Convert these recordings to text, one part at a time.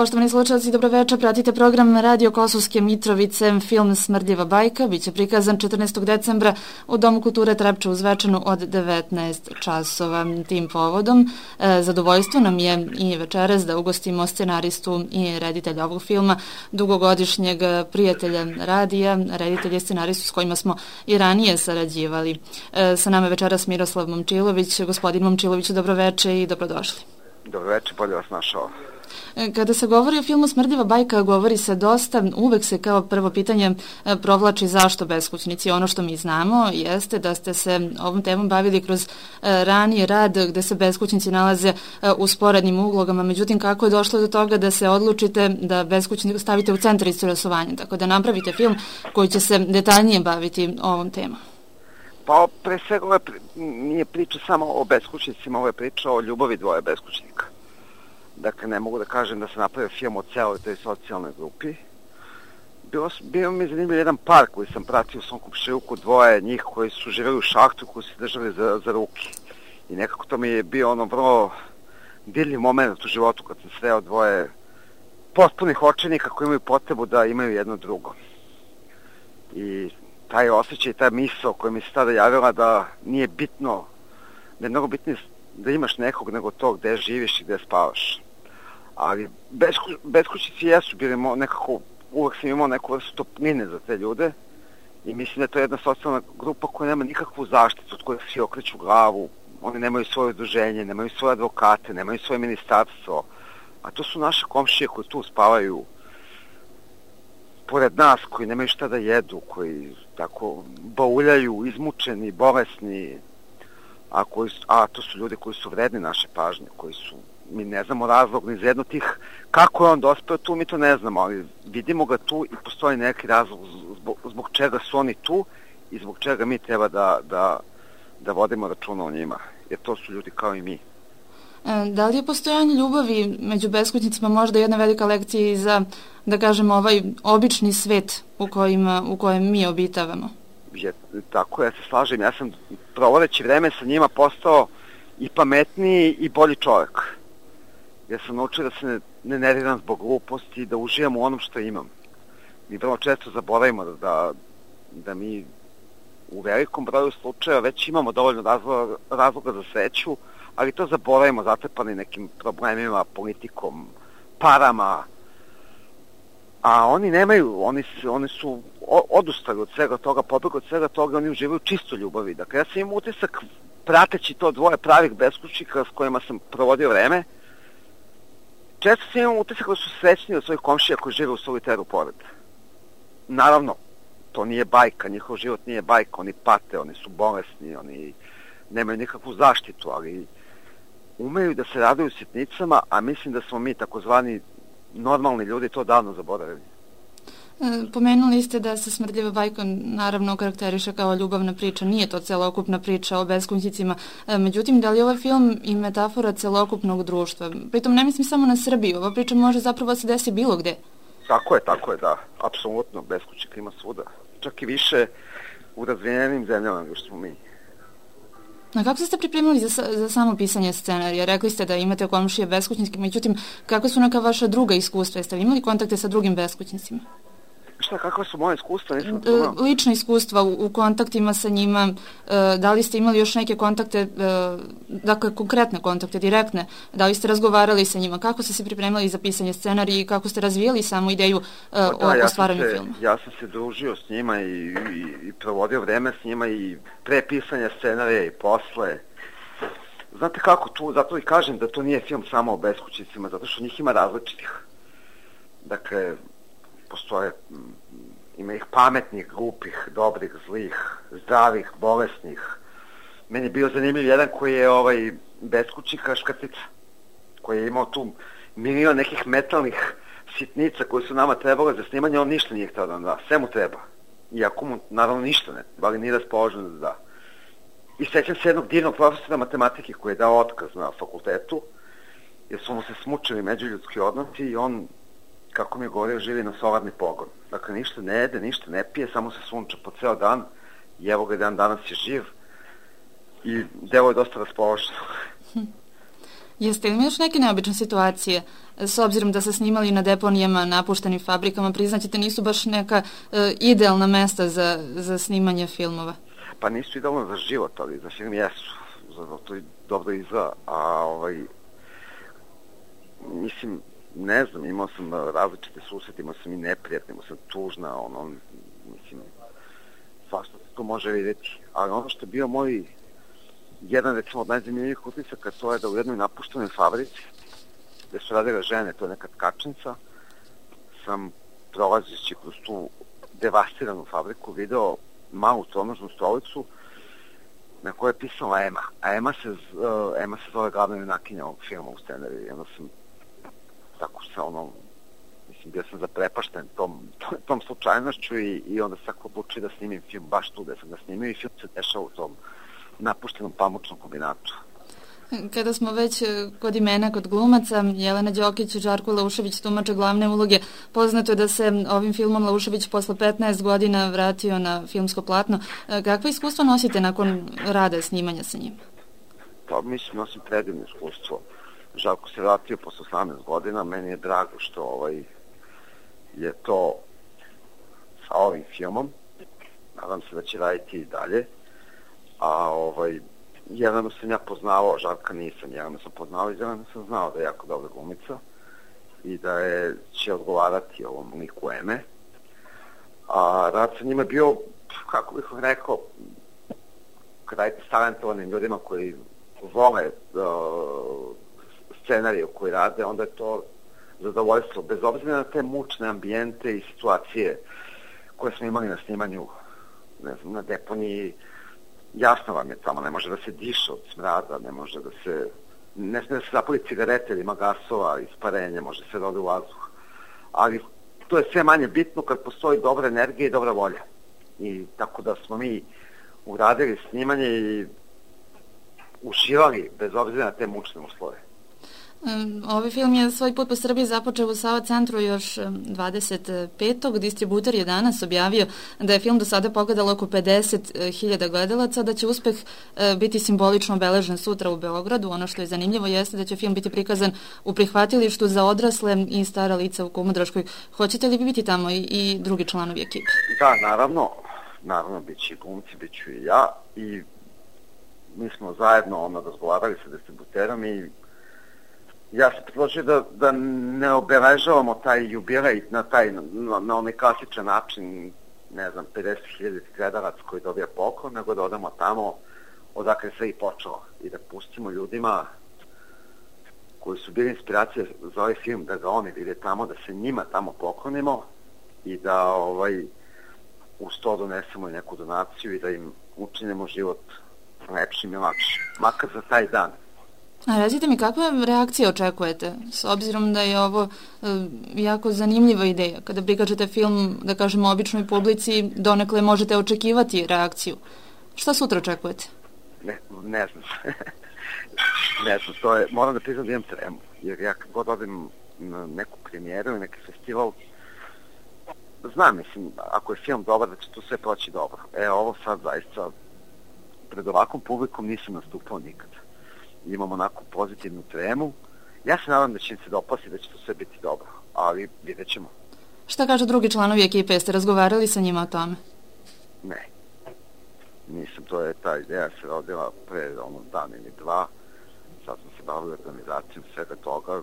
Poštovani slušalci, dobroveče, pratite program Radio Kosovske Mitrovice, film Smrdljiva bajka, biće prikazan 14. decembra u Domu kulture Trepča u Zvečanu od 19 časova. Tim povodom zadovoljstvo nam je i večeras da ugostimo scenaristu i reditelja ovog filma, dugogodišnjeg prijatelja radija, reditelja i scenaristu s kojima smo i ranije sarađivali. Sa nama je večeras Miroslav Momčilović. Gospodin Momčilović, dobroveče i dobrodošli. Dobroveče, bolje vas našao. Kada se govori o filmu Smrdljiva bajka, govori se dosta, uvek se kao prvo pitanje provlači zašto beskućnici. Ono što mi znamo jeste da ste se ovom temom bavili kroz raniji rad gde se beskućnici nalaze u sporednim uglogama, međutim kako je došlo do toga da se odlučite da beskućnike stavite u centar interesovanja, tako da napravite film koji će se detaljnije baviti ovom temom? Pa pre svega ovo nije priča samo o beskućnicima, ovo je priča o ljubavi dvoje beskućnika. Dakle, ne mogu da kažem da se napravio film o celoj toj socijalnoj grupi. Bio mi zanimljiv jedan par koji sam pratio u svom komšiluku, dvoje njih koji su živjeli u šahtu, koji su držali za ruke. I nekako to mi je bio vrlo dirljiv moment u životu kad sam sreo dvoje potpunih očajnika koji imaju potrebu da imaju jedno drugo. I taj osjećaj, ta misao koja mi se tada javila da nije bitno, da je mnogo bitnije da imaš nekog nego to gde živiš i gde spavaš. Ali beskućnici jesu bili nekako, uvek sam imao neku vrstu topline za te ljude i mislim da je to jedna socijalna grupa koja nema nikakvu zaštitu, od koje svi okreću glavu, oni nemaju svoje udruženje, nemaju svoje advokate, nemaju svoje ministarstvo, a to su naše komšije koji tu spavaju pored nas, koji nemaju šta da jedu, koji tako bauljaju, izmučeni, bolesni, a to su ljudi koji su vredni naše pažnje, koji su, mi ne znamo razlog ni za jedno tih, kako je on dospeo tu, mi to ne znamo, ali vidimo ga tu i postoji neki razlog zbog čega su oni tu i zbog čega mi treba da vodimo računa o njima, jer to su ljudi kao i mi. Da li je postojanje ljubavi među beskućnicima možda jedna velika lekcija i za, da kažemo, ovaj obični svet u kojem mi obitavamo? Tako, ja se slažem, ja sam provodeći vreme sa njima postao i pametniji i bolji čovjek. Ja sam naučio da se ne nerviram zbog gluposti i da uživam u onom što imam. Mi vrlo često zaboravimo da mi u velikom broju slučajeva već imamo dovoljno razloga za sreću, ali to zaboravimo, zatrpani nekim problemima, politikom, parama, a oni nemaju, oni su odustali od svega toga, pobegli od svega toga, oni uživaju čisto ljubavi. Dakle, ja sam imao utisak, prateći to dvoje pravih beskućnika s kojima sam provodio vreme, često sam imao utisak da su srećni od svojih komšija koji žive u soliteru pored. Naravno, to nije bajka, njihov život nije bajka, oni pate, oni su bolesni, oni nemaju nikakvu zaštitu, ali umeju da se raduju sitnicama, a mislim da smo mi takozvani normalni ljudi to davno zaboravili. Pomenuli ste da se Smrdljiva bajka naravno karakteriše kao ljubavna priča, nije to celokupna priča o beskućnicima, međutim, da li je ovaj film i metafora celokupnog društva? Pritom ne mislim samo na Srbiju, ova priča može zapravo se desi bilo gde. Tako je, da, apsolutno, beskućnika ima svuda, čak i više u razvijenim zemljama nego što smo mi. A kako ste se pripremili za samo pisanje scenarija? Rekli ste da imate komšije beskućnike, međutim, kako su neka vaša druga iskustva? Jeste li imali kontakte sa drugim beskućnicima? Kakva su moje iskustva? Lična iskustva u kontaktima sa njima, da li ste imali još neke kontakte, dakle konkretne kontakte, direktne, da li ste razgovarali sa njima, kako ste se pripremili za pisanje scenarija i kako ste razvijali samu ideju o stvaranju filma? Ja sam se družio s njima i provodio vreme s njima i pre pisanja scenarija i posle. Znate kako tu, zato i kažem da to nije film samo o beskućnicima, zato što njih ima različitih. Dakle, postoje, ima ih pametnih, glupih, dobrih, zlih, zdravih, bolesnih. Meni je bio zanimljiv jedan koji je beskućnika Škrtica, koji je imao tu milion nekih metalnih sitnica koji su nama trebale za snimanje, on ništa nije htio da nam da, sve mu treba. Iako mu, naravno, ništa ne, ali nije raspoložen da da. I sećam se jednog divnog profesora matematike koji je dao otkaz na fakultetu, jer su mu se smučili međuljudski odnosi i on, kako mi je govorio, živi na solarni pogon. Dakle, ništa ne jede, ništa ne pije, samo se sunča po ceo dan i evo ga danas je živ i delo je dosta raspoloženo. Jeste li još neke neobične situacije, s obzirom da se snimali na deponijama, napuštenim fabrikama, priznaćete nisu baš neka idealna mesta za snimanje filmova? Pa nisu idealno za život, ali za film jesu. Zato to dobro izgleda, a mislim, ne znam, imao sam različite susrete, imao sam i neprijatne, imao sam tužna, mislim, svašta se to može vidjeti. Ali ono što je bio moj jedan, recimo, od najzanimljivih utisaka, to je da u jednoj napuštenoj fabrici, gde su radile žene, to je neka tkačnica, sam prolazeći kroz tu devastiranu fabriku video malu tronožnu stolicu na kojoj je pisala Ema. A Ema se zove glavna junakinja ovog filma u scenariju. I onda sam tako se mislim, bio sam zaprepašten tom slučajnošću i onda sam tako odlučio da snimim film baš tu gde sam ga snimio i film se dešava u tom napuštenom pamučnom kombinatu. Kada smo već kod imena, kod glumaca, Jelena Đokić i Žarko Laušević tumače glavne uloge. Poznato je da se ovim filmom Laušević posle 15 godina vratio na filmsko platno. Kakva iskustva nosite nakon rada snimanja sa njim? Pa mislim, nosim predivno iskustvo. Žarko se vratio posle 18 godina. Meni je drago što je to sa ovim filmom. Nadam se da će raditi i dalje. A Jelenu sam ja poznavao, Žarka nisam, Jelenu sam poznao i Jelenu sam znao da je jako dobra glumica i da će odgovarati ovom liku Eme. A rad sa njima je bio, kako bih vam rekao, kada je talentovanim ljudima koji vole scenariju koji rade, onda je to zadovoljstvo, bez obzira na te mučne ambijente i situacije koje smo imali na snimanju, ne znam, na deponiji. Jasno vam je, tamo ne može da se diše od smrada, ne smije da se zapali cigarete ili ima gasova, isparenje, može se da ode u vazduh. Ali to je sve manje bitno kad postoji dobra energija i dobra volja. I tako da smo mi uradili snimanje i uživali bez obzira na te mučne uslove. Ovaj film je svoj put po Srbiji započeo u Sava centru još 25. Distributer je danas objavio da je film do sada pogledalo oko 50.000 gledalaca, da će uspeh biti simbolično obeležen sutra u Beogradu. Ono što je zanimljivo jeste da će film biti prikazan u prihvatilištu za odrasle i stara lica u Kumodraškoj. Hoćete li biti tamo i drugi članovi ekipe? Da, naravno, bit će i glumci, bit ću i ja i mi smo zajedno razgovarali sa distributerom i ja sam predložio da ne obeležavamo taj jubilej na onaj klasičan način, ne znam, 50.000 gledalac koji dobija poklon, nego da odamo tamo odakle sve i počelo i da pustimo ljudima koji su bili inspiracije za ovaj film, da ga oni vide tamo, da se njima tamo poklonimo i da uz to donesemo i neku donaciju i da im učinimo život lepšim i lakšim, makar za taj dan. A recite mi, kakve reakcije očekujete, s obzirom da je ovo jako zanimljiva ideja? Kada prikažete film, da kažemo, običnoj publici, donekle možete očekivati reakciju. Šta sutra očekujete? Ne znam. Ne znam, to je, moram da priznam da imam tremu, jer ja kad god odem na neku premijeru ili neki festival, znam, mislim, ako je film dobar, da će to sve proći dobro. Ovo sad zaista, pred ovakvom publikom nisam nastupao nikad. Imam onako pozitivnu tremu. Ja se nadam da će im se dopasti, da će to sve biti dobro, ali vidjet ćemo. Šta kažu drugi članovi ekipe? Jeste razgovarali sa njima o tome? Ne. Nisam, ta ideja se rodila pre dan ili dva. Sad smo se bavili organizacijom svega toga.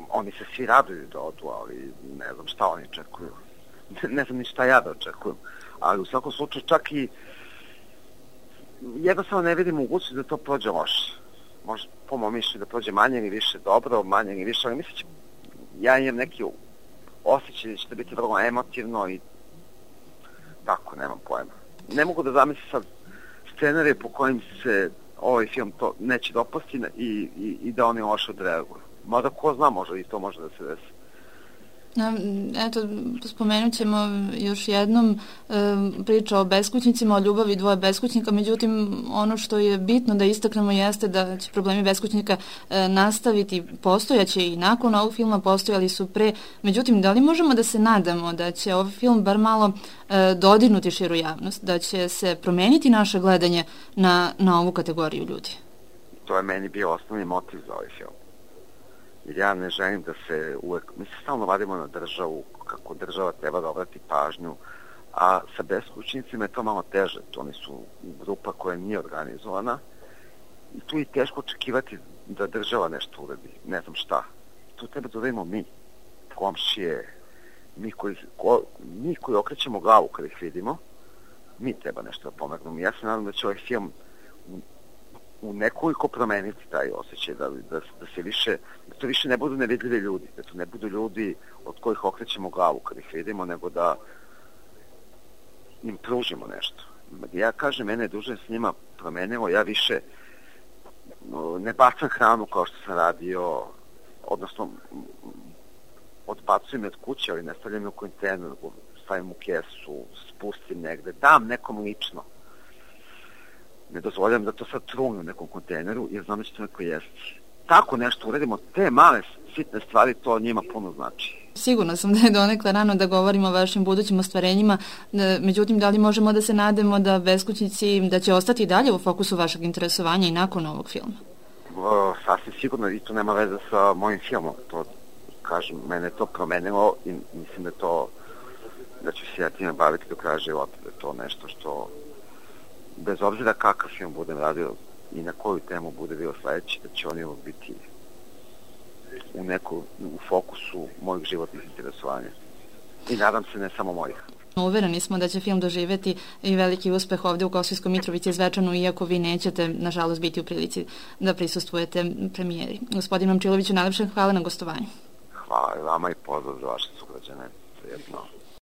Oni se svi raduju da odu, ali ne znam šta oni očekuju. Ne znam ni šta ja da očekujem. Ali u svakom slučaju čak i jednostavno ne vidim mogućnost da to prođe loše. Može po mojom mišljenju da prođe manje ili više dobro, manje ili više, ali mislim ja imam neki osjećaj da će to biti vrlo emotivno i tako, nemam pojma. Ne mogu da zamislim sad scenarije po kojim se ovaj film to neće dopasti i da oni loše odreaguju. Mada ko zna, možda i to može da se desi. Eto, spomenut ćemo još jednom priča o beskućnicima, o ljubavi dvoje beskućnika, međutim ono što je bitno da istaknemo jeste da će problemi beskućnika nastaviti, postojaće i nakon ovog filma, postojali su pre, međutim da li možemo da se nadamo da će ovaj film bar malo dodirnuti širu javnost, da će se promeniti naše gledanje na ovu kategoriju ljudi? to je meni bio osnovni motiv za ovaj film. Jer ja ne želim da se uvek, mi se stalno vadimo na državu, kako država treba da obrati pažnju, a sa beskućnicima je to malo teže. Oni su grupa koja nije organizovana i tu je teško očekivati da država nešto uradi, ne znam šta. Tu treba da uradimo mi, komšije, mi koji okrećemo glavu kada ih vidimo, mi treba nešto da pomognemo. Ja se nadam da će ovaj film u nekoliko promeniti taj osjećaj, da to više ne budu nevidljivi ljudi, da to ne budu ljudi od kojih okrećemo glavu kada ih vidimo, nego da im pružimo nešto. Ja kažem, mene je duže s njima promenilo, ja više ne bacam hranu kao što sam radio, odnosno odbacujem je od kuće, ali ne stavljam je u kontejner, stavim u kesu, spustim negde, dam nekom lično. Ne dozvoljam da to sad trune u nekom kontejneru, jer znam da će to neko jesti. Tako nešto uradimo, te male sitne stvari, to njima puno znači. Sigurno sam da je donekle rano da govorimo o vašim budućim ostvarenjima, međutim, da li možemo da se nademo da beskućnici, da će ostati dalje u fokusu vašeg interesovanja i nakon ovog filma? Sasvim sigurno, i to nema veze sa mojim filmom. To, kažem, mene to promenilo i mislim da ću se ja time baviti do kraja života, da je to nešto što, bez obzira kakav film budem radio i na koju temu bude bio sledeći, da će oni biti u fokusu mojih životnih interesovanja. I nadam se ne samo mojih. Uvereni smo da će film doživeti i veliki uspeh ovde u Kosovskoj Mitrovici i Zvečanu, iako vi nećete, nažalost, biti u prilici da prisustvujete premijeri. Gospodin Momčiloviću, najlepše hvala na gostovanju. Hvala i vama i pozdrav za vaše sugrađane. Prijetno.